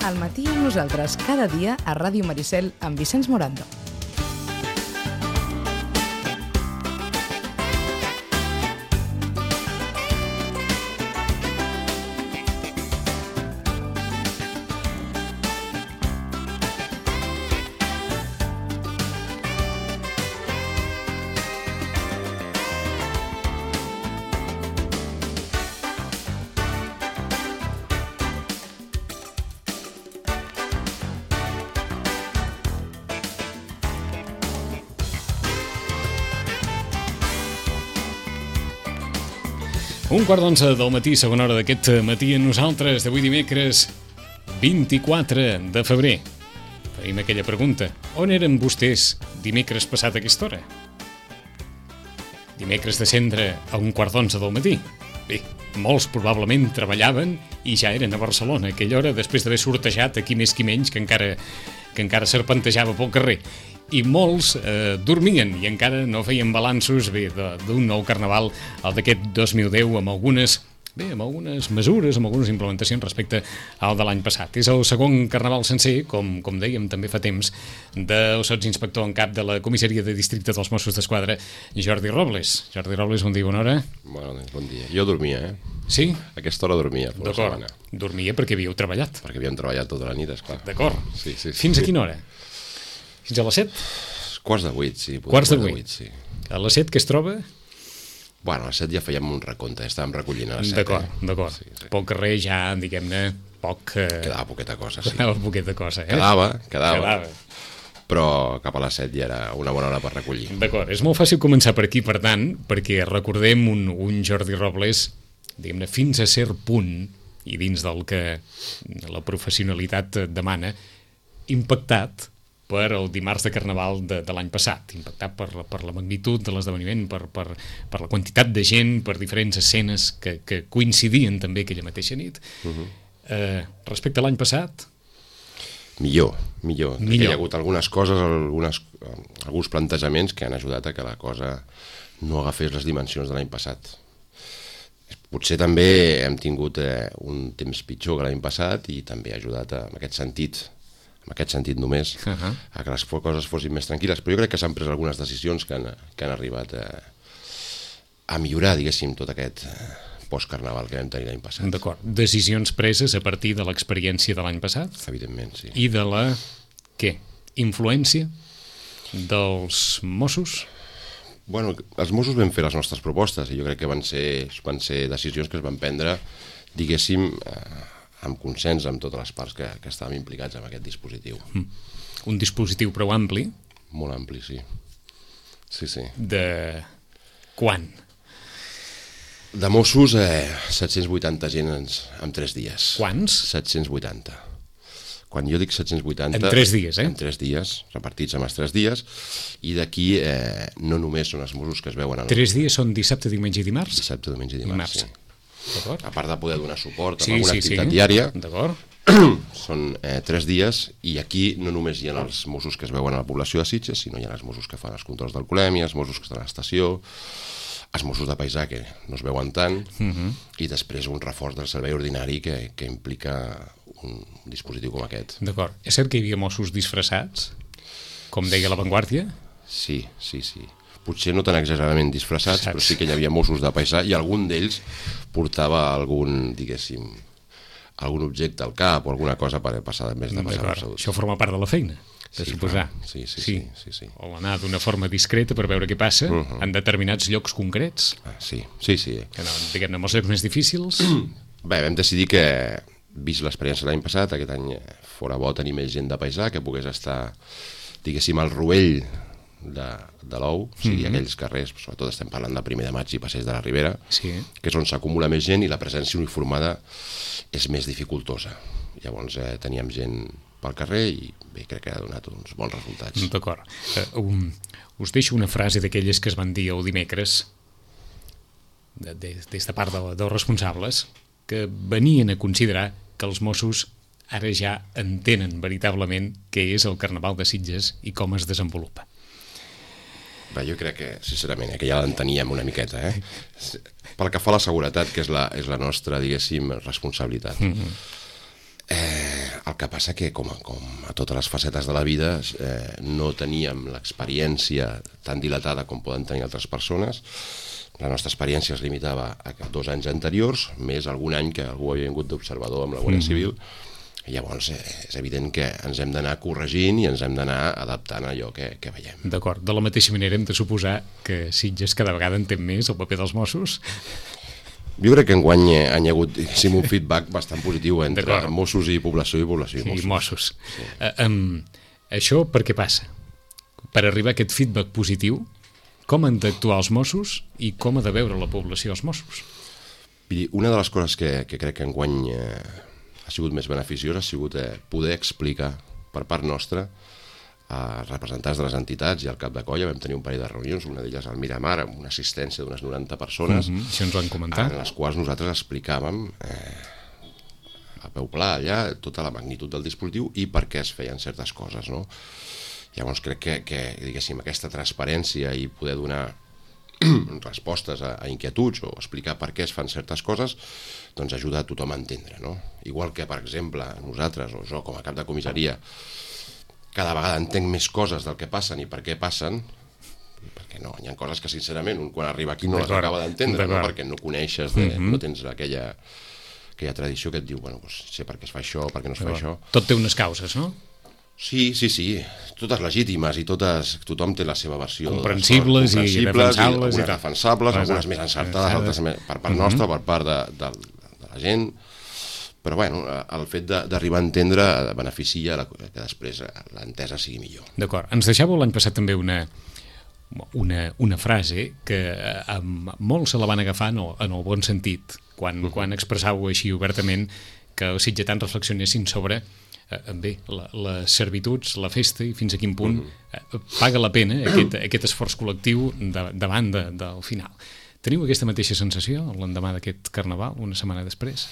Al matí amb nosaltres, cada dia a Ràdio Maricel amb Vicenç Morando. Un quart d'11 del matí, segona hora d'aquest matí amb nosaltres, d'avui dimecres 24 de febrer. Feim aquella pregunta. On eren vostès dimecres passat a aquesta hora? Dimecres de cendre a un quart d'11 del matí. Bé, molts probablement treballaven i ja eren a Barcelona a aquella hora, després d'haver sortejat aquí més qui menys, que encara serpentejava pel carrer. I molts dormien i encara no feien balanços d'un nou carnaval, el d'aquest 2010, amb algunes mesures, amb algunes implementacions respecte al de l'any passat. És el segon carnaval sencer, com dèiem també fa temps, del sotsinspector en cap de la comissaria de districte dels Mossos d'Esquadra, Jordi Robles. Jordi Robles, bon dia, bona hora. Bon dia. Jo dormia, Sí? A aquesta hora dormia. D'acord. Dormia perquè havíeu treballat. Perquè havíem treballat tota la nit, esclar. D'acord. Sí. Fins a quina hora? Fins a les 7? Quarts de 8, sí. Quarts de 8. Sí. A les 7 què es troba? Bueno, a les 7 ja fèiem un recompte, estàvem recollint a les 7. D'acord. Sí. Pel carrer ja, diguem-ne, poc... Quedava poqueta cosa, sí. Quedava poqueta cosa, eh? Quedava. Però cap a les 7 ja era una bona hora per recollir. D'acord, és molt fàcil començar per aquí, per tant, perquè recordem un Jordi Robles, diguem-ne, fins a cert punt, i dins del que la professionalitat demana, impactat per el dimarts de Carnaval de l'any passat, impactat per la magnitud de l'esdeveniment, per la quantitat de gent, per diferents escenes que coincidien també aquella mateixa nit. Respecte a l'any passat? Millor. Hi ha hagut algunes coses, alguns plantejaments que han ajudat a que la cosa no agafés les dimensions de l'any passat. Potser també hem tingut un temps pitjor que l'any passat i també ha ajudat en aquest sentit només, a que les coses fossin més tranquil·les, però jo crec que s'han pres algunes decisions que han arribat a millorar, diguéssim, tot aquest post-carnaval que vam tenir l'any passat. D'acord. Decisions preses a partir de l'experiència de l'any passat? Evidentment, sí. I de la, influència dels Mossos? Bueno, els Mossos vam fer les nostres propostes i jo crec que van ser decisions que es van prendre, diguéssim, amb consens amb totes les parts que estàvem implicats en aquest dispositiu. Un dispositiu prou ampli? Molt ampli, sí. Sí. De quan? De Mossos, 780 agents en 3 dies. Quants? 780. Quan jo dic 780... En 3 dies, En 3 dies, repartits en els 3 dies, i d'aquí no només són els Mossos que es veuen... 3 dies són dissabte, diumenge i dimarts? Dissabte, diumenge i dimarts, sí. D'acord. A part de poder donar suport a alguna activitat diària, són 3 dies i aquí no només hi ha els Mossos que es veuen a la població de Sitges, sinó hi ha els Mossos que fan els controls d'alcoholèmia, els Mossos que estan a l'estació, els Mossos de paisà que no es veuen tant, i després un reforç del servei ordinari que implica un dispositiu com aquest. D'acord. És cert que hi havia Mossos disfressats, com deia La Vanguardia? Sí. Potser no tan exageradament disfressats, però sí que hi havia Mossos de paisà i algun d'ells portava algun objecte al cap o alguna cosa per passar més de passar la salut. Això forma part de la feina, de suposar. Sí. O anar d'una forma discreta per veure què passa en determinats llocs concrets. Sí. Que no, diguem-ne, en els llocs més difícils. Bé, vam decidir que, vist l'experiència l'any passat, aquest any fora bo tenir més gent de paisà, que pogués estar, diguéssim, al rovell de l'ou, o sigui, aquells carrers, sobretot estem parlant de 1 de maig i Passeig de la Ribera, que és on s'acumula més gent i la presència uniformada és més dificultosa. Llavors teníem gent pel carrer i bé, crec que ha donat uns bons resultats. D'acord. Us deixo una frase d'aquelles que es van dir el dimecres des de part dels responsables, que venien a considerar que els Mossos ara ja entenen veritablement què és el Carnaval de Sitges i com es desenvolupa. Bé, jo crec que, sincerament, que ja l'enteníem una miqueta, Pel que fa a la seguretat, que és la nostra, diguéssim, responsabilitat. El que passa que, com a totes les facetes de la vida, no teníem l'experiència tan dilatada com poden tenir altres persones. La nostra experiència es limitava a 2 anys anteriors, més algun any que algú havia vingut d'observador amb la Guàrdia Civil. I llavors és evident que ens hem d'anar corregint i ens hem d'anar adaptant a allò que veiem. D'acord. De la mateixa manera hem de suposar que Sitges cada vegada entén més el paper dels Mossos. Jo crec que enguany hi ha hagut un feedback bastant positiu entre Mossos i població i Mossos. Sí. Això per què passa? Per arribar a aquest feedback positiu, com han d'actuar els Mossos i com ha de veure la població els Mossos? Una de les coses que crec que enguany ha sigut més beneficiosa ha sigut poder explicar per part nostra als representants de les entitats i al cap de colla. Vam tenir un parell de reunions, una d'elles al Miramar, amb una assistència d'unes 90 persones, això ens ho han comentat, en les quals nosaltres explicàvem a peu pla allà tota la magnitud del dispositiu i per què es feien certes coses, no? Llavors crec que diguéssim, aquesta transparència i poder donar respostes a inquietuds o explicar per què es fan certes coses, doncs ajuda a tothom a entendre, no? Igual que, per exemple, nosaltres o jo com a cap de comissaria cada vegada entenc més coses del que passen i per què passen, perquè no, hi ha coses que sincerament un quan arriba aquí no les acaba d'entendre, no? Perquè no coneixes, no tens aquella tradició que et diu, bueno, sé per què es fa això, per què no es fa això. Tot té unes causes, no? Sí, totes legítimes i tothom té la seva versió. Comprensibles i defensables. Algunes defensables, algunes més encertades, altres per part nostra, per part de la gent. Però bueno, el fet d'arribar a entendre beneficia que després l'entesa sigui millor. D'acord. Ens deixàveu l'any passat també una frase que molts se la van agafar en el bon sentit, quan expressàveu així obertament que els sitgetans reflexionessin sobre les servituds, la festa i fins a quin punt paga la pena aquest esforç col·lectiu davant del final. Teniu aquesta mateixa sensació l'endemà d'aquest carnaval, una setmana després?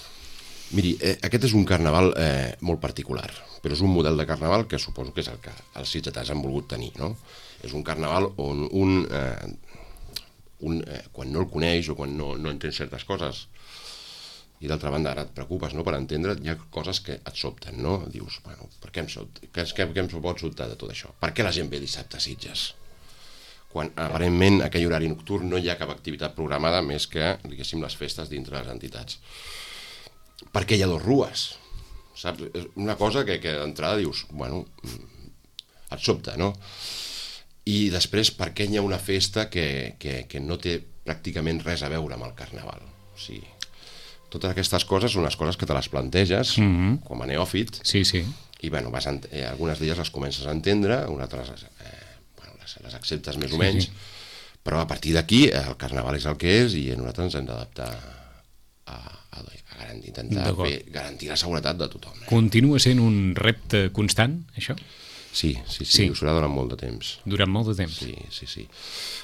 Miri, aquest és un carnaval molt particular, però és un model de carnaval que suposo que és el que els sitgetans han volgut tenir, no? És un carnaval on quan no el coneix o quan no entén certes coses, i d'altra banda ara et preocupes, no?, per entendre, hi ha coses que et sobten, no? Dius, bueno, per què em pot sobtar de tot això? Per què la gent ve dissabte a Sitges? Quan aparentment aquell horari nocturn no hi ha cap activitat programada més que, diguéssim, les festes dintre les entitats. Per què hi ha 2 rues? Saps? És una cosa que d'entrada dius, bueno, et sobta, no? I després, per què hi ha una festa que no té pràcticament res a veure amb el carnaval? O sigui, totes aquestes coses són les coses que te les planteges com a neòfit i bueno, algunes d'elles les comences a entendre, unes altres les acceptes més o menys, però a partir d'aquí el carnaval és el que és i nosaltres ens hem d'adaptar a intentar garantir la seguretat de tothom. Continua sent un repte constant, això? Sí, ho serà durant molt de temps. Durant molt de temps? Sí.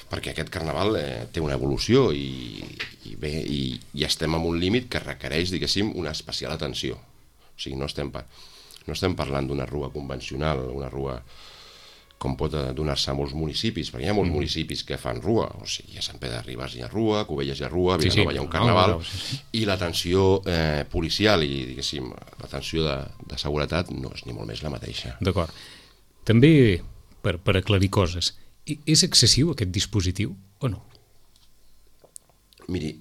Perquè aquest carnaval té una evolució i estem en un límit que requereix, diguéssim, una especial atenció. O sigui, no estem parlant d'una rua convencional, una rua com pot donar-se a molts municipis, perquè hi ha molts municipis que fan rua, o sigui, a Sant Pere de Ribes hi ha rua, Cubelles hi ha rua, Vilanova hi ha un carnaval, i l'atenció policial i, diguéssim, l'atenció de seguretat no és ni molt més la mateixa. D'acord. També, per aclarir coses, és excessiu aquest dispositiu o no? Miri,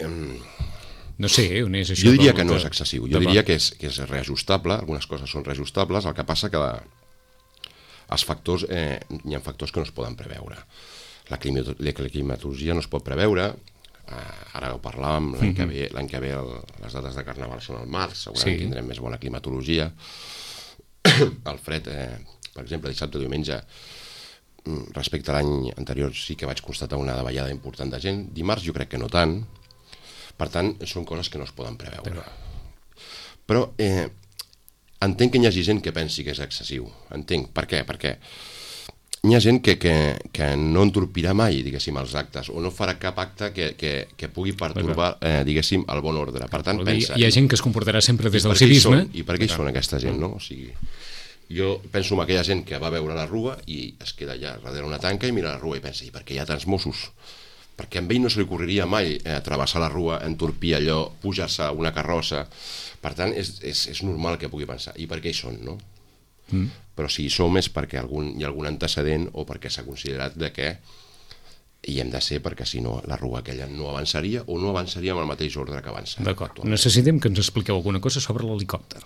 no sé, on és això? Jo diria que no és excessiu, jo diria que és reajustable, algunes coses són reajustables, el que passa que els factors, hi ha factors que no es poden preveure. La climatologia no es pot preveure, ara ho parlàvem, l'any que ve les dates de carnaval són al març, segurament tindrem més bona climatologia. El fred, per exemple, dissabte o diumenge, respecte a l'any anterior sí que vaig constatar una davallada important de gent, dimarts jo crec que no tant, per tant són coses que no es poden preveure. Però entenc que hi hagi gent que pensi que és excessiu, entenc, per què? Perquè hi ha gent que no entorpirà mai, diguéssim, els actes, o no farà cap acte que pugui pertorbar, diguéssim, el bon ordre. Per tant, pensa... Hi ha gent que es comportarà sempre des del civisme. I per què hi són aquesta gent, no? O sigui, jo penso en aquella gent que va veure la rua i es queda allà darrere una tanca i mira la rua i pensa, i per què hi ha tants Mossos? perquè a ell no se li ocorreria mai travessar la rua, entorpir allò, pujar-se a una carrossa. Per tant, és normal que pugui pensar, i per què hi són, no? Però si hi som és perquè hi ha algun antecedent o perquè s'ha considerat que hi hem de ser, perquè si no la rua aquella no avançaria o no avançaria amb el mateix ordre que avança. D'acord, necessitem que ens expliqueu alguna cosa sobre l'helicòpter.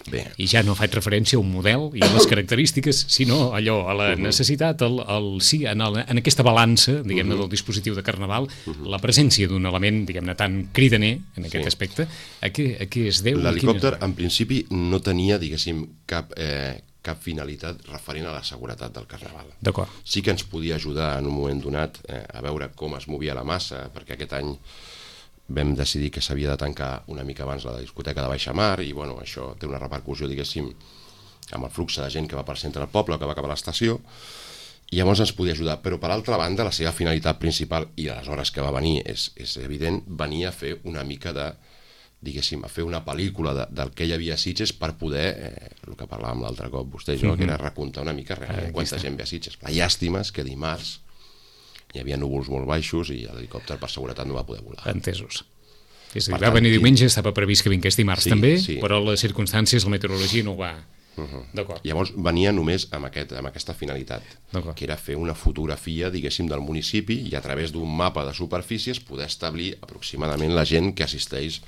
Bé. I ja no faig referència a un model i a les característiques, sinó allò, a la necessitat, en aquesta balança, diguem-ne, del dispositiu de Carnaval, la presència d'un element, diguem-ne, tan cridaner en aquest aspecte, a què es deu? L'helicòpter, en principi, no tenia, diguéssim, cap finalitat referent a la seguretat del Carnaval. D'acord. Sí que ens podia ajudar en un moment donat a veure com es movia la massa, perquè aquest any vam decidir que s'havia de tancar una mica abans la discoteca de Baixamar i bueno, això té una repercussió, diguéssim, amb el flux de gent que va per centre del poble o que va cap a l'estació, i llavors ens podia ajudar. Però per altra banda, la seva finalitat principal, i a les hores que va venir és evident, venia a fer una mica de, diguéssim, a fer una pel·lícula del que hi havia a Sitges per poder, el que parlàvem l'altre cop vostè i jo, que era recontar una mica realment quanta gent ve a Sitges. La llàstima és que dimarts hi havia núvols molt baixos i l'helicòpter per seguretat no va poder volar. Entesos. És a dir, va venir diumenge, estava previst que vingués dimarts també, però les circumstàncies, la meteorologia no ho va... D'acord. Llavors venia només amb aquesta finalitat, que era fer una fotografia, diguéssim, del municipi i a través d'un mapa de superfícies poder establir aproximadament la gent que assisteix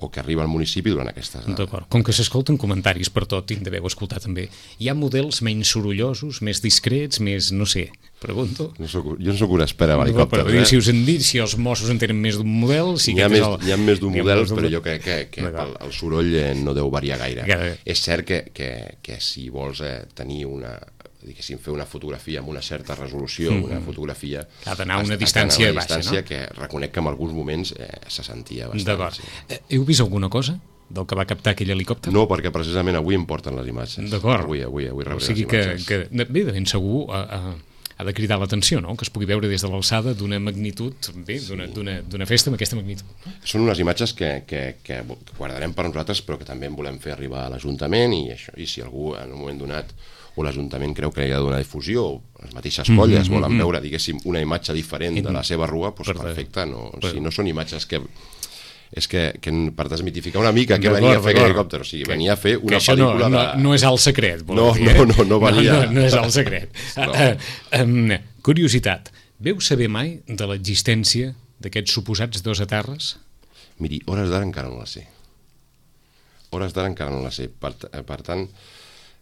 o que arriba al municipi durant aquestes... D'acord. Com que s'escolten comentaris per tot, tinc d'haver-ho escoltat també, hi ha models menys sorollosos, més discrets, més, no sé, pregunto? Jo no soc un expert en helicòpters. Però si us han dit, si els Mossos en tenen més d'un model... Hi ha més d'un model, però jo crec que el soroll no deu variar gaire. És cert que si vols tenir diguéssim, fer una fotografia amb una certa resolució, una fotografia... Ha d'anar a una distància baixa, no? Que reconec que en alguns moments se sentia bastant. D'acord. Heu vist alguna cosa del que va captar aquell helicòpter? No, perquè precisament avui em porten les imatges. D'acord. Avui rebré les imatges. O sigui que bé, de ben segur ha de cridar l'atenció, no? Que es pugui veure des de l'alçada d'una magnitud, bé, d'una festa amb aquesta magnitud. Són unes imatges que guardarem per nosaltres, però que també en volem fer arribar a l'Ajuntament i si algú en un moment donat o l'Ajuntament creu que hi ha de donar difusió o les mateixes colles volen veure, diguéssim, una imatge diferent de la seva rua, doncs perfecte, si no són imatges que és que per desmitificar una mica què venia a fer aquell helicòpter, o sigui, venia a fer una pel·lícula de... No és el secret, no venia... No és el secret. Curiositat, veu saber mai de l'existència d'aquests suposats dos aterres? Miri, hores d'ara encara no la sé. Hores d'ara encara no la sé. Per tant,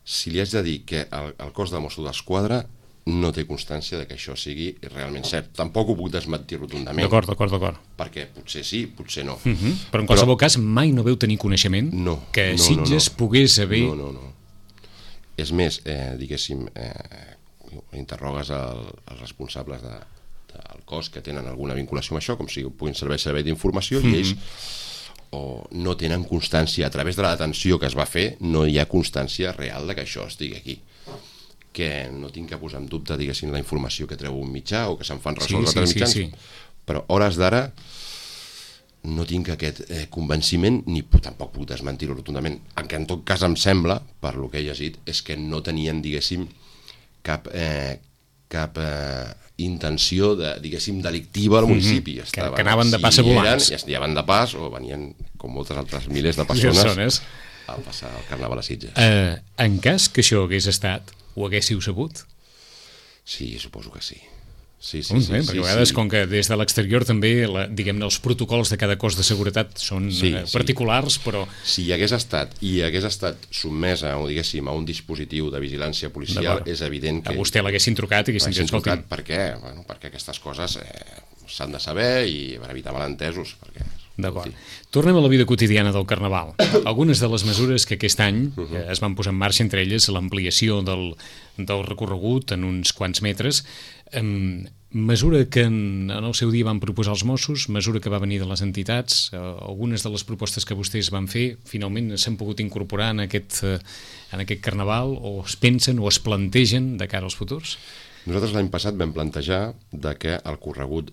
si li haig de dir que el cos de Mossos d'Esquadra no té constància de que això sigui realment cert. Tampoc ho puc desmentir rotundament. D'acord. Perquè potser sí, potser no. Però en qualsevol cas mai no veu tenir coneixement que Sitges pogués haver... No. És més, diguéssim, interrogues els responsables del cos que tenen alguna vinculació amb això, com si puguin servei d'informació, i ells o no tenen constància, a través de la detenció que es va fer, no hi ha constància real de que això estigui aquí. Que no tinc que posar en dubte, diguéssim, la informació que treu un mitjà o que se'n fan ressò d'altres mitjans, però hores d'ara no tinc aquest convenciment, ni tampoc puc desmentir-ho rotundament. En què en tot cas em sembla, per lo que he llegit, és que no tenien, diguéssim, cap intenció, diguéssim, delictiva al municipi. Que anaven de pas a volants. I anaven de pas o venien, com moltes altres milers de persones, a passar el Carnaval a Sitges. En cas que això hagués estat, ho haguéssiu sabut? Sí, suposo que sí. Sí, perquè a vegades, com que des de l'exterior també, diguem-ne, els protocols de cada cos de seguretat són particulars, però... Si hi hagués estat sotmesa, o diguéssim, a un dispositiu de vigilància policial, és evident que... A vostè l'haguessin trucat i haguessin dit, escolti'm... Per què? Perquè aquestes coses s'han de saber i per evitar malentesos, perquè... D'acord. Tornem a la vida quotidiana del Carnaval. Algunes de les mesures que aquest any es van posar en marxa, entre elles l'ampliació del recorregut en uns quants metres, mesura que en el seu dia van proposar els Mossos, mesura que va venir de les entitats, algunes de les propostes que vostès van fer finalment s'han pogut incorporar en aquest Carnaval, o es pensen o es plantegen de cara als futurs? Nosaltres l'any passat vam plantejar que el recorregut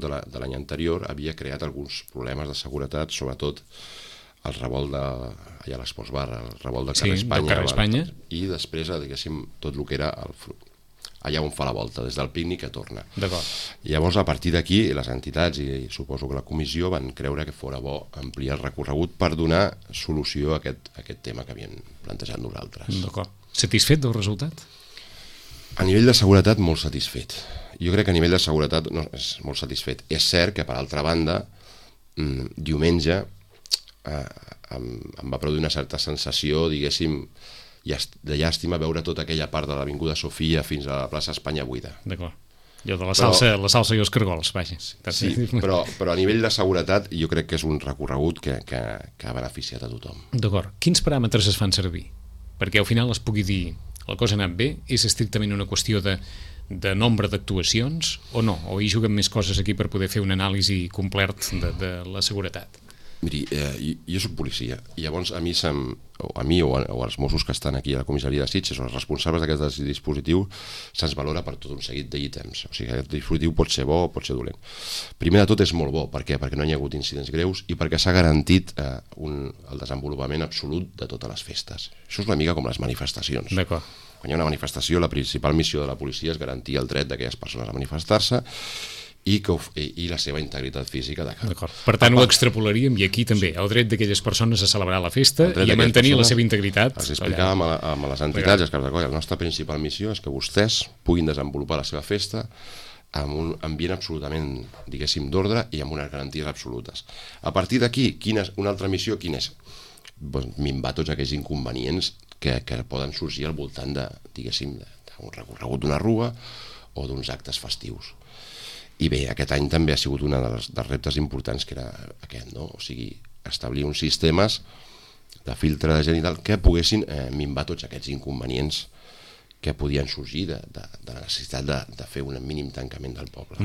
de l'any anterior havia creat alguns problemes de seguretat, sobretot el revolt allà a l'Esports Bar, el revolt de Carrer Espanya, Espanya, i després, diguéssim, tot el que era allà on fa la volta, des del pícnic que torna. D'acord. Llavors, a partir d'aquí, les entitats i suposo que la comissió van creure que fora bo ampliar el recorregut per donar solució a aquest tema que havien plantejat nosaltres. D'acord. Satisfet del resultat? A nivell de seguretat, molt satisfet. Jo crec que a nivell de seguretat no, és molt satisfet. És cert que, per altra banda, diumenge em va produir una certa sensació, diguéssim, de llàstima veure tota aquella part de l'Avinguda Sofia fins a la plaça Espanya buida. D'acord. Allò de la salsa i els cargols, vaja. Sí, però a nivell de seguretat jo crec que és un recorregut que ha beneficiat a tothom. D'acord. Quins paràmetres es fan servir? Perquè al final es pugui dir la cosa ha anat bé, és estrictament una qüestió de nombre d'actuacions o no? O hi juguen més coses aquí per poder fer una anàlisi complert de la seguretat? Miri, jo soc policia i llavors a mi o als Mossos que estan aquí a la comissaria de Sitges o els responsables d'aquest dispositiu se'ns valora per tot un seguit d'ítems. O sigui, aquest dispositiu pot ser bo o pot ser dolent. Primer de tot és molt bo. Per què? Perquè no hi ha hagut incidents greus i perquè s'ha garantit el desenvolupament absolut de totes les festes. Això és una mica com les manifestacions. D'acord. Quan hi ha una manifestació, la principal missió de la policia és garantir el dret d'aquelles persones a manifestar-se i la seva integritat física de cada. D'acord. Per tant, ho extrapolaríem i aquí també, el dret d'aquelles persones a celebrar la festa i a mantenir la seva integritat. Els explicàvem a les entitats i als caps de colla, la nostra principal missió és que vostès puguin desenvolupar la seva festa amb un ambient absolutament, diguéssim, d'ordre i amb unes garanties absolutes. A partir d'aquí, una altra missió quina és? Minvar tots aquells inconvenients que poden sorgir al voltant diguéssim, d'un recorregut d'una rua o d'uns actes festius. I bé, aquest any també ha sigut un dels reptes importants que era aquest, no? O sigui, establir uns sistemes de filtre de gent i tal que poguessin minvar tots aquests inconvenients que podien sorgir de la necessitat de fer un mínim tancament del poble.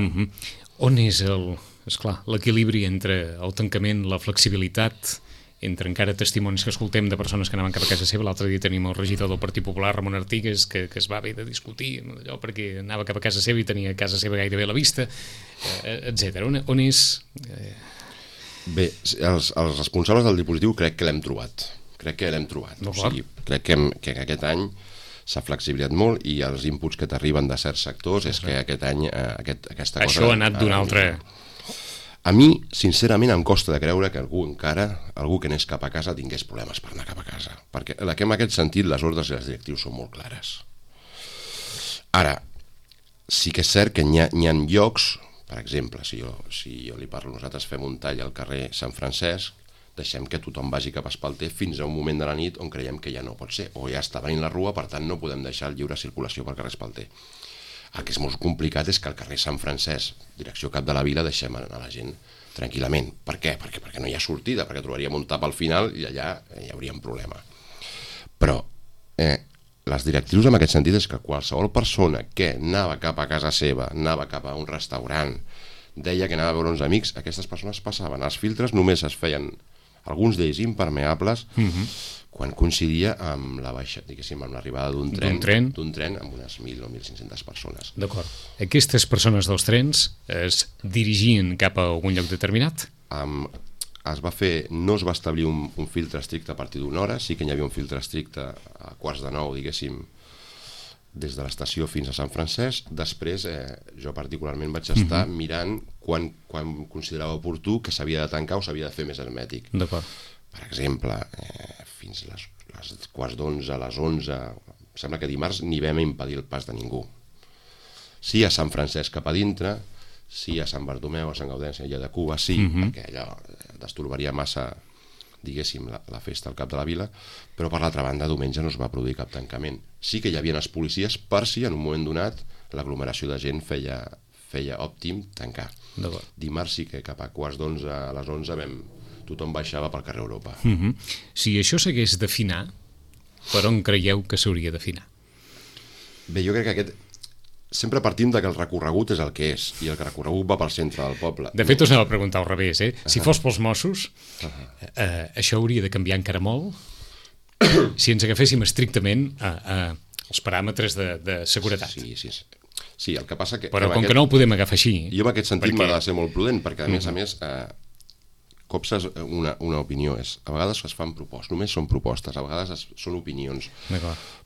On és l'equilibri entre el tancament, la flexibilitat, entre encara testimonis que escoltem de persones que anaven cap a casa seva? L'altre dia tenim el regidor del Partit Popular, Ramon Artigas, que es va haver de discutir allò perquè anava cap a casa seva i tenia casa seva gairebé a la vista, etc. On és? Bé, els responsables del dispositiu crec que l'hem trobat. O sigui, crec que aquest any s'ha flexibilitzat molt i els inputs que t'arriben de certs sectors és que aquest any aquesta cosa... Això ha anat d'un altre... A mi, sincerament, em costa de creure que algú que anés cap a casa tingués problemes per anar cap a casa, perquè en aquest sentit les ordres i les directius són molt clares. Ara, sí que és cert que hi ha llocs, per exemple, si jo li parlo, nosaltres fem un tall al carrer Sant Francesc, deixem que tothom vagi cap a Espalter fins a un moment de la nit on creiem que ja no pot ser, o ja està venint la rua, per tant no podem deixar lliure circulació pel carrer Espalter. El que és molt complicat és que al carrer Sant Francesc, direcció cap de la vila, deixem anar la gent tranquil·lament. Per què? Perquè no hi ha sortida, perquè trobaríem un tap al final i allà hi hauria un problema. Però les directrius en aquest sentit és que qualsevol persona que anava cap a casa seva, anava cap a un restaurant, deia que anava a veure uns amics, aquestes persones passaven. Els filtres només es feien, alguns d'ells impermeables, quan coincidia amb la baixa, diguéssim, amb l'arribada d'un tren amb unes 1.000 o 1.500 persones. D'acord. Aquestes persones dels trens es dirigien cap a algun lloc determinat? No es va establir un filtre estricte a partir d'una hora, sí que hi havia un filtre estricte a 8:45, diguéssim, des de l'estació fins a Sant Francesc. Després, jo particularment vaig estar mirant quan considerava oportú que s'havia de tancar o s'havia de fer més hermètic. D'acord. Per exemple, fins a les 10:15, a les 11, sembla que dimarts ni vam impedir el pas de ningú. Sí a Sant Francesc cap a dintre, sí a Sant Bartomeu, a Sant Gaudenci, allà de Cuba, sí, perquè allò destorbaria massa, diguéssim, la festa al cap de la vila, però per l'altra banda, diumenge no es va produir cap tancament. Sí que hi havia els policies per si en un moment donat l'aglomeració de gent feia òptim tancar. Dimarts sí que cap a 10:15, a les 11 tothom baixava pel carrer Europa. Si això s'hagués d'afinar, per on creieu que s'hauria d'afinar? Bé, jo crec que sempre partim que el recorregut és el que és, i el recorregut va pel centre del poble. De fet, us anava a preguntar al revés, Si fos pels Mossos, això hauria de canviar encara molt? Si ens agaféssim estrictament els paràmetres de seguretat. Sí, el que passa que... Però com que no ho podem agafar així... Jo en aquest sentit m'ha de ser molt prudent, perquè a més, copses una opinió. A vegades es fan propostes, només són propostes, a vegades són opinions.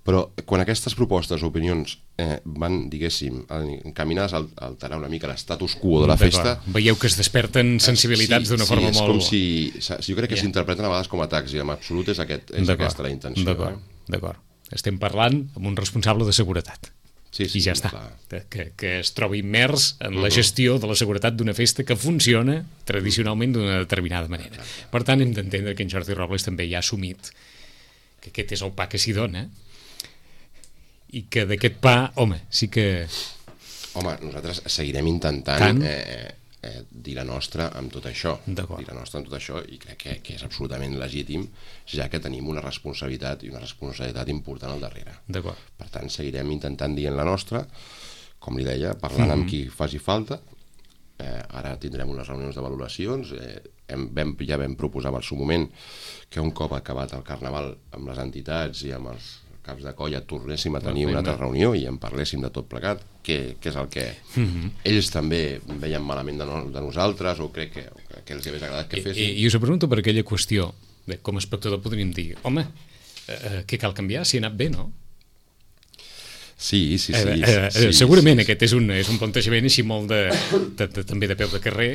Però quan aquestes propostes o opinions van, diguéssim, encaminades a alterar una mica l'estatus quo de la festa... Veieu que es desperten sensibilitats d'una forma molt... Sí, és com si... Jo crec que s'interpreten a vegades com a atacs, i en absolut és aquesta la intenció. D'acord. Estem parlant amb un responsable de seguretat. Sí, i ja està, que es trobi immers en la gestió de la seguretat d'una festa que funciona tradicionalment d'una determinada manera. Per tant, hem d'entendre que en Jordi Robles també ja ha assumit que aquest és el pa que s'hi dona i que d'aquest pa, home, sí que... Home, nosaltres seguirem intentant dir la nostra amb tot això. Dir la nostra amb tot això, i crec que és absolutament legítim, ja que tenim una responsabilitat important al darrere. Per tant, seguirem intentant dient la nostra, com li deia, parlant amb qui faci falta. Ara tindrem unes reunions de valoracions. Ja vam proposar en el seu moment que un cop acabat el Carnaval amb les entitats i amb els caps de colla tornéssim a tenir una altra reunió i en parléssim de tot plegat, que és el que ells també veien malament de nosaltres, o crec que els hagués agradat que féssim. I us pregunto per aquella qüestió, com a espectador podríem dir, home, què cal canviar si ha anat bé, no? Sí. Segurament aquest és un plantejament així molt també de peu de carrer.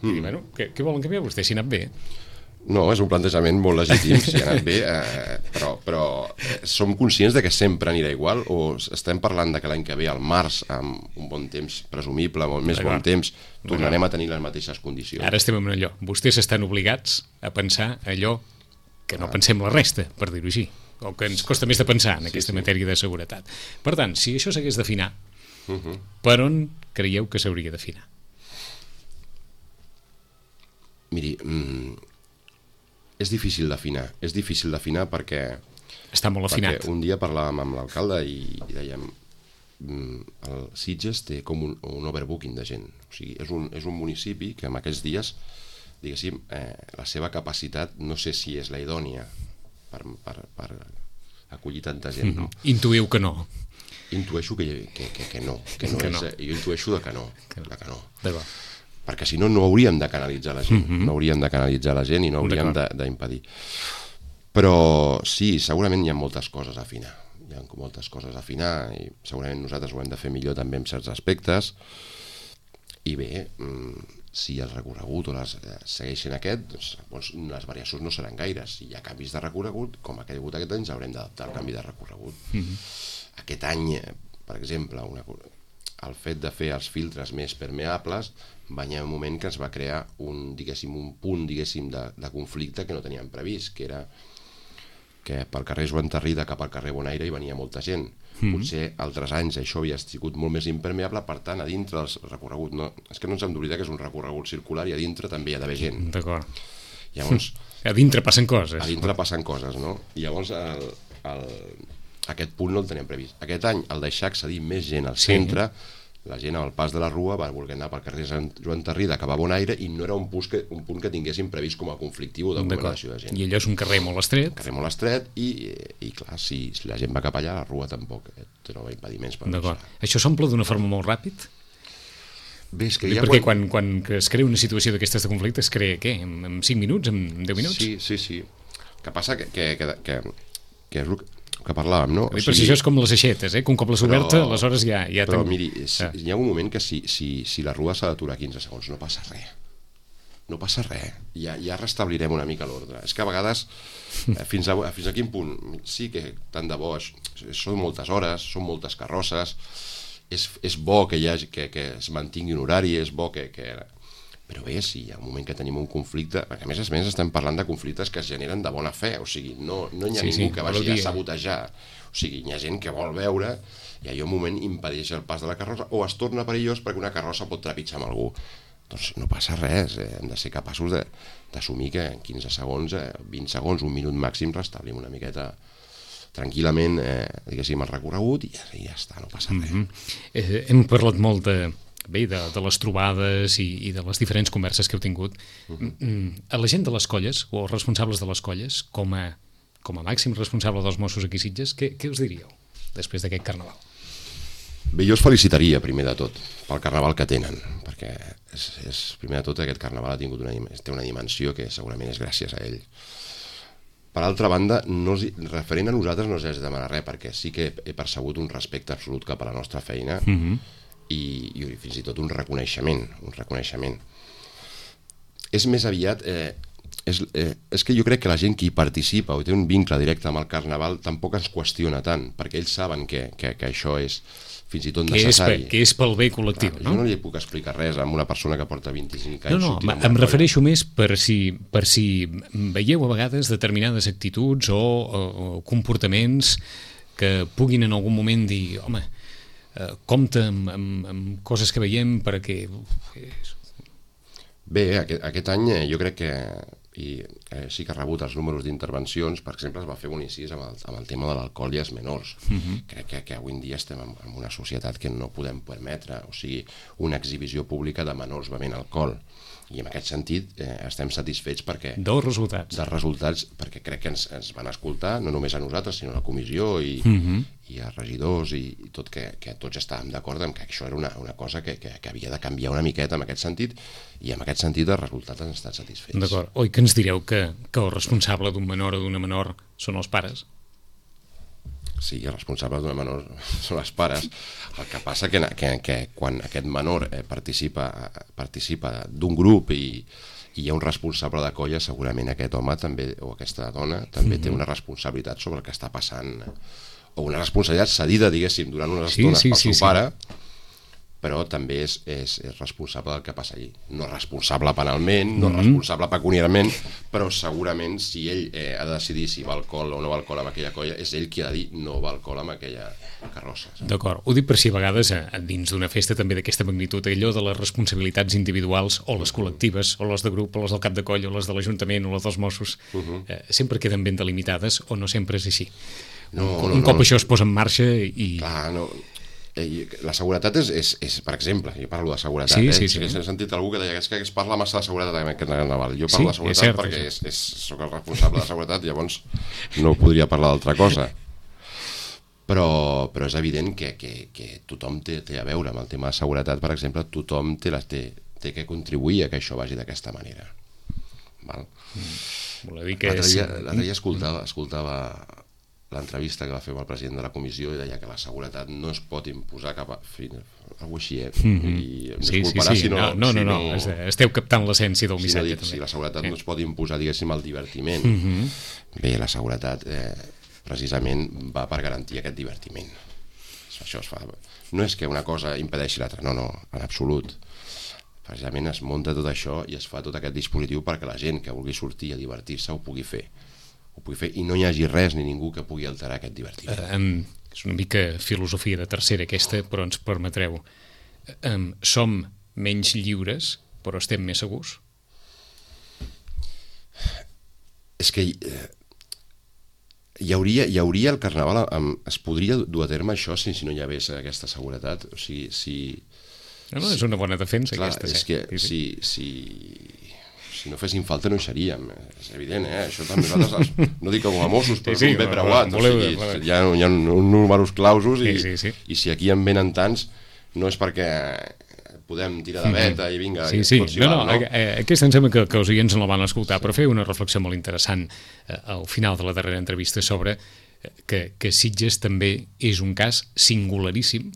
Què volen canviar vostès si ha anat bé? No, és un plantejament molt legítim, si ha anat bé, però som conscients de que sempre anirà igual, o estem parlant de que l'any que ve, al març, amb un bon temps presumible, amb més bon temps, tornarem a tenir les mateixes condicions. Ara estem en allò. Vostès estan obligats a pensar allò que no pensem la resta, per dir-ho així, o que ens costa més de pensar en aquesta matèria de seguretat. Per tant, si això s'hagués d'afinar, per on creieu que s'hauria d'afinar? Miri, és difícil d'afinar perquè... Està molt afinat. Perquè un dia parlàvem amb l'alcalde i dèiem el Sitges té com un overbooking de gent. O sigui, és un municipi que en aquests dies, diguéssim, la seva capacitat no sé si és la idònia per acollir tanta gent, no? Intuïu que no. Intueixo que no. Jo intueixo que no. D'acord. Perquè si no, no hauríem de canalitzar la gent, no hauríem de canalitzar la gent i no hauríem d'impedir. Però sí, segurament hi ha moltes coses a afinar, i segurament nosaltres ho hem de fer millor també en certs aspectes, i bé, si el recorregut o les segueixen doncs les variacions no seran gaires. Si hi ha canvis de recorregut, com ha hagut aquest any, ja haurem d'adaptar el canvi de recorregut. Aquest any, per exemple, el fet de fer els filtres més permeables va haver un moment que es va crear un punt de conflicte que no teníem previst, que era que pel carrer Joan Tarrida cap al carrer Bonaire hi venia molta gent. Potser altres anys això havia sigut molt més impermeable, per tant, a dintre del recorregut, és que no ens hem d'oblidar que és un recorregut circular i a dintre també hi ha d'haver gent. D'acord. Llavors, a dintre passen coses. No? I llavors aquest punt no el teníem previst. Aquest any, al deixar accedir més gent al centre, la gent al pas de la Rua va voler anar pel carrer Joan Tarrida cap a Bonaire i no era un punt que tinguéssim previst com a conflictiu d'aglomeració de gent. I allò és un carrer molt estret. I clar, si la gent va cap allà, la Rua tampoc troba impediments per passar. Això s'omple d'una forma molt ràpid? Bé, és que perquè quan es crea una situació d'aquestes de conflicte es crea, què? En 5 minuts? En 10 minuts? Sí. El que passa que és el que parlàvem, no? Però si això és com les aixetes, que un cop l'has oberta, aleshores ja... Però miri, hi ha un moment que si la Rua s'ha d'aturar 15 segons, no passa res. No passa res. Ja restablirem una mica l'ordre. És que a vegades, fins a quin punt, sí que tant de bo, són moltes hores, són moltes carrosses, és bo que es mantingui un horari, és bo que... Però bé, si hi ha un moment que tenim un conflicte, perquè a més estem parlant de conflictes que es generen de bona fe, o sigui, no hi ha ningú que vagi a sabotejar, o sigui, hi ha gent que vol veure i allò un moment impedeix el pas de la carrossa o es torna perillós perquè una carrossa pot trepitjar amb algú. Doncs no passa res, hem de ser capaços d'assumir que en 15 segons, 20 segons, un minut màxim restablim una miqueta tranquil·lament, diguéssim, el recorregut i ja està, no passa res. Hem parlat molt de les trobades i de les diferents converses que heu tingut. A la gent de les colles, o els responsables de les colles, com a màxim responsable dels Mossos aquí a Sitges, què us diríeu després d'aquest Carnaval? Bé, jo els felicitaria, primer de tot, pel carnaval que tenen, perquè primer de tot aquest carnaval ha tingut té una dimensió que segurament és gràcies a ell. Per altra banda, referent a nosaltres no és demanar res, perquè sí que he percebut un respecte absolut cap a la nostra feina i fins i tot un reconeixement. És més aviat... és que jo crec que la gent que hi participa o té un vincle directe amb el carnaval tampoc ens qüestiona tant, perquè ells saben que això és fins i tot necessari. Que és pel bé col·lectiu, no? Jo no li puc explicar res a una persona que porta 25 anys. No, em refereixo més per si veieu a vegades determinades actituds o comportaments que puguin en algun moment dir, home, compte amb coses que veiem perquè... Bé, aquest any jo crec que sí que ha rebut els números d'intervencions. Per exemple, es va fer un incís amb el tema de l'alcohol i els menors. Crec que avui en dia estem en una societat que no podem permetre, o sigui, una exhibició pública de menors bevent alcohol. I en aquest sentit estem satisfets perquè... Dels resultats, perquè crec que ens van escoltar, no només a nosaltres, sinó a la comissió i a regidors i tot, que tots estàvem d'acord en que això era una cosa que havia de canviar una miqueta en aquest sentit, i en aquest sentit els resultats han estat satisfets. D'acord. Oi que ens direu que el responsable d'un menor o d'una menor són els pares? Sí, el responsable d'una menor són els pares. El que passa que quan aquest menor participa d'un grup i hi ha un responsable de colla, segurament aquest home també, o aquesta dona també té una responsabilitat sobre el que està passant, o una responsabilitat cedida, diguéssim, durant unes estones pel seu pare, però també és responsable del que passa allí. No responsable penalment, no responsable pecuniàriament, però segurament si ell ha de decidir si va alcohol o no va alcohol amb aquella colla, és ell qui ha de dir no va alcohol amb aquella carrossa. D'acord. Ho dic per si a vegades dins d'una festa també d'aquesta magnitud, allò de les responsabilitats individuals o les col·lectives, o les de grup, o les del cap de colla, o les de l'Ajuntament, o les dels Mossos, sempre queden ben delimitades o no sempre és així. Un cop això es posa en marxa i... Clar, no... La seguretat és, per exemple, jo parlo de seguretat, sí. He sentit algú que deia que es parla massa de seguretat en aquest carnaval. Jo parlo de seguretat perquè soc el responsable de seguretat, llavors no podria parlar d'altra cosa. Però és evident que tothom té a veure amb el tema de seguretat. Per exemple, tothom té que contribuir a que això vagi d'aquesta manera. L'altre dia escoltava l'entrevista que va fer amb el president de la comissió i deia que la seguretat no es pot imposar cap a... Algo així, i em disculparà si no... No, esteu captant l'essència del missatge. Si la seguretat no es pot imposar, diguéssim, el divertiment. Bé, la seguretat precisament va per garantir aquest divertiment. Això es fa... No és que una cosa impedeixi l'altra, no, en absolut. Precisament es munta tot això i es fa tot aquest dispositiu perquè la gent que vulgui sortir a divertir-se ho pugui fer i no hi hagi res ni ningú que pugui alterar aquest divertiment. És una mica filosofia de tercera aquesta, però ens permetreu. Som menys lliures, però estem més segurs? És que hi hauria el carnaval, es podria dur a terme això si no hi hagués aquesta seguretat. O sigui, No, és una bona defensa aquesta. És que si no fessin falta no hi seríem, és evident, això també nosaltres, no dic com a Mossos, però som ben preuats, hi ha uns números clausos i si aquí en venen tants no és perquè podem tirar de veta i vinga... Aquesta em sembla que els oients no la van escoltar, però feia una reflexió molt interessant al final de la darrera entrevista sobre que Sitges també és un cas singularíssim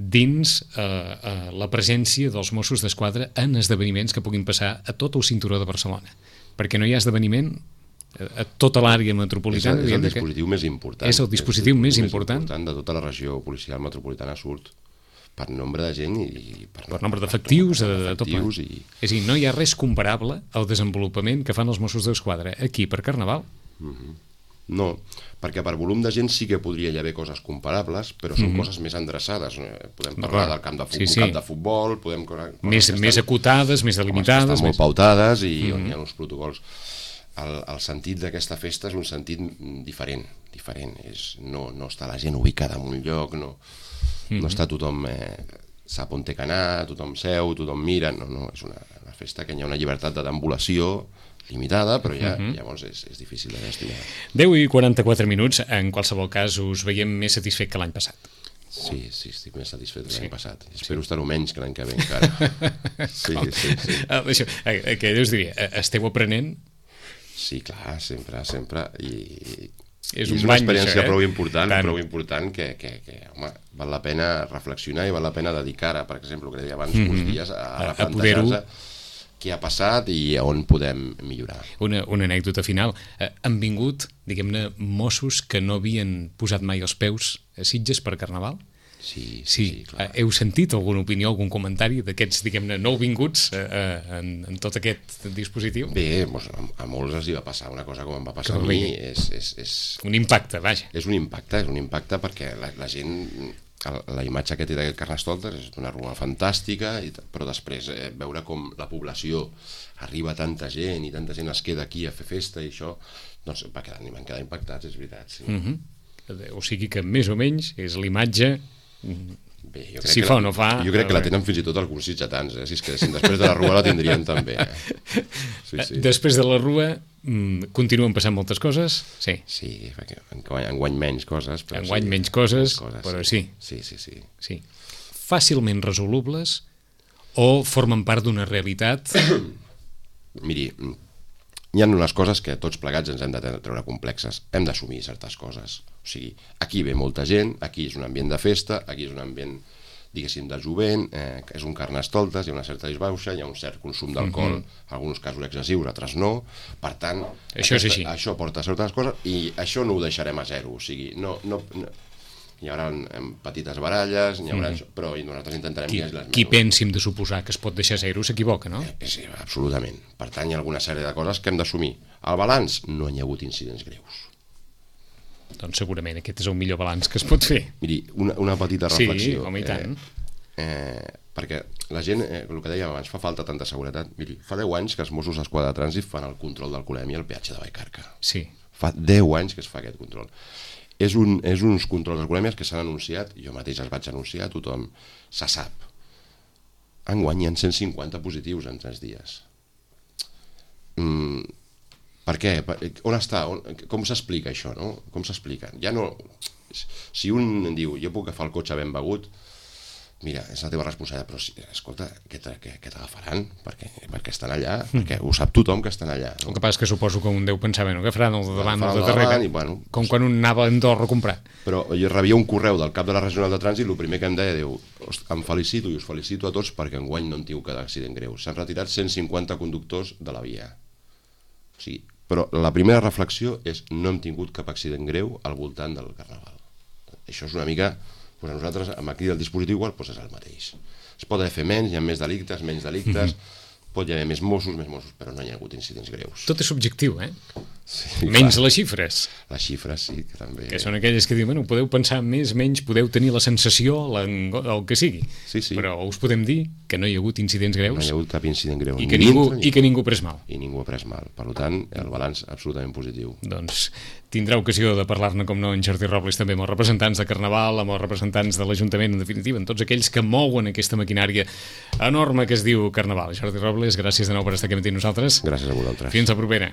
dins la presència dels Mossos d'Esquadra en esdeveniments que puguin passar a tot el cinturó de Barcelona, perquè no hi ha esdeveniment a tota l'àrea metropolitana. És el dispositiu més important. És el dispositiu més important de tota la regió policial metropolitana, surt per nombre de gent i per nombre d'efectius, de tot plegat. És a dir, no hi ha res comparable al desenvolupament que fan els Mossos d'Esquadra aquí per Carnaval. No, perquè per volum de gent sí que podria haver coses comparables, però són coses més endreçades. Podem parlar del camp de futbol, més acotades, més delimitades, estan molt pautades i on hi ha uns protocols. El sentit d'aquesta festa és un sentit diferent. No està la gent ubicada en un lloc, no està tothom sap on té que anar, tothom seu, tothom mira, no, és una festa que hi ha una llibertat de deambulació limitada, però llavors és difícil de gestionar. 10:44, en qualsevol cas us veiem més satisfet que l'any passat. Sí, estic més satisfet de l'any passat. Espero estar-ho menys que l'any que ve encara. Sí. Això, que us diria, esteu aprenent? Sí, clar, sempre. I és una experiència prou important que, home, val la pena reflexionar i val la pena dedicar, per exemple, el que deia abans, uns dies a replantejar-se què ha passat i on podem millorar. Una anècdota final. Han vingut, diguem-ne, Mossos que no havien posat mai els peus a Sitges per Carnaval? Sí, clar. Heu sentit alguna opinió, algun comentari d'aquests, diguem-ne, nouvinguts en tot aquest dispositiu? Bé, a molts els hi va passar una cosa com em va passar a mi. És un impacte, vaja. És un impacte perquè la gent... La imatge que té d'aquest Carnestoltes és d'una rua fantàstica, però després veure com la població arriba tanta gent i tanta gent es queda aquí a fer festa i això, doncs van quedar impactats, és veritat. Sí. O sigui que més o menys és l'imatge... Bé, si fa o no fa... Jo crec que la tenen fins i tot alguns sitgetans, si es quedessin després de la rua la tindrien també. Sí. Després de la rua continuen passant moltes coses? Sí. Sí, perquè enguany menys coses. Enguany menys coses, però sí. Sí. Fàcilment resolubles o formen part d'una realitat? Miri, hi ha unes coses que tots plegats ens hem de treure complexes. Hem d'assumir certes coses. O sigui, aquí ve molta gent, aquí és un ambient de festa, aquí és un ambient, diguéssim, de jovent, és un Carnestoltes, hi ha una certa disbauxa, hi ha un cert consum d'alcohol, en alguns casos excessius, altres no. Per tant, això porta certes coses i això no ho deixarem a zero. O sigui, no hi haurà petites baralles, però nosaltres intentarem... Qui pensi de suposar que es pot deixar zero s'equivoca, no? Sí, absolutament. Per tant, hi ha alguna sèrie de coses que hem d'assumir. El balanç, no hi ha hagut incidents greus. Doncs segurament aquest és el millor balanç que es pot fer. Miri, una petita reflexió. Sí, home, i tant. Perquè la gent, el que dèiem abans, fa falta tanta seguretat. Miri, fa 10 anys que els Mossos d'Esquadra de Trànsit fan el control d'alcoholèmia al peatge de Vallcarca. Sí. Fa 10 anys que es fa aquest control. És uns controls d'alcoholèmies que s'han anunciat, jo mateix els vaig anunciar, tothom se sap. Enguany hi ha 150 positius en 3 dies. Per què? On està? Com s'explica això, no? Com s'explica? Ja no... Si un diu, jo puc agafar el cotxe ben begut, mira, és la teva responsabilitat, però escolta, què t'agafaran? Perquè estan allà, perquè ho sap tothom que estan allà. El que passa és que suposo que un deu pensar, bueno, agafaran el de davant o el de darrere, com quan un anava a Andorra a comprar. Però jo rebia un correu del cap de la regional de trànsit, el primer que em deia, diu, em felicito i us felicito a tots perquè enguany no en tinc cada accident greu. S'han retirat 150 conductors de la via. O sigui, però la primera reflexió és no hem tingut cap accident greu al voltant del Carnaval. Això és una mica... a nosaltres, aquí el dispositiu igual, és el mateix. Es pot fer menys, hi ha més delictes, menys delictes, pot hi haver més Mossos, però no hi ha hagut incidents greus. Tot és subjectiu, Sí, menys les xifres. Les xifres, sí, que també... Que són aquelles que diuen, bueno, podeu pensar més, menys, podeu tenir la sensació, el que sigui. Sí. Però us podem dir que no hi ha hagut incidents greus. No hi ha hagut cap incident greu. I que ningú ha pres mal. I ningú ha pres mal. Per tant, el balanç absolutament positiu. Doncs tindrà ocasió de parlar-ne, com no, en Jordi Robles, també amb els representants de Carnaval, amb els representants de l'Ajuntament, en definitiva, amb tots aquells que mouen aquesta maquinària enorme que es diu Carnaval. Jordi Robles, gràcies de nou per estar aquí amb nosaltres. Gràcies a vosaltres. Fins la propera.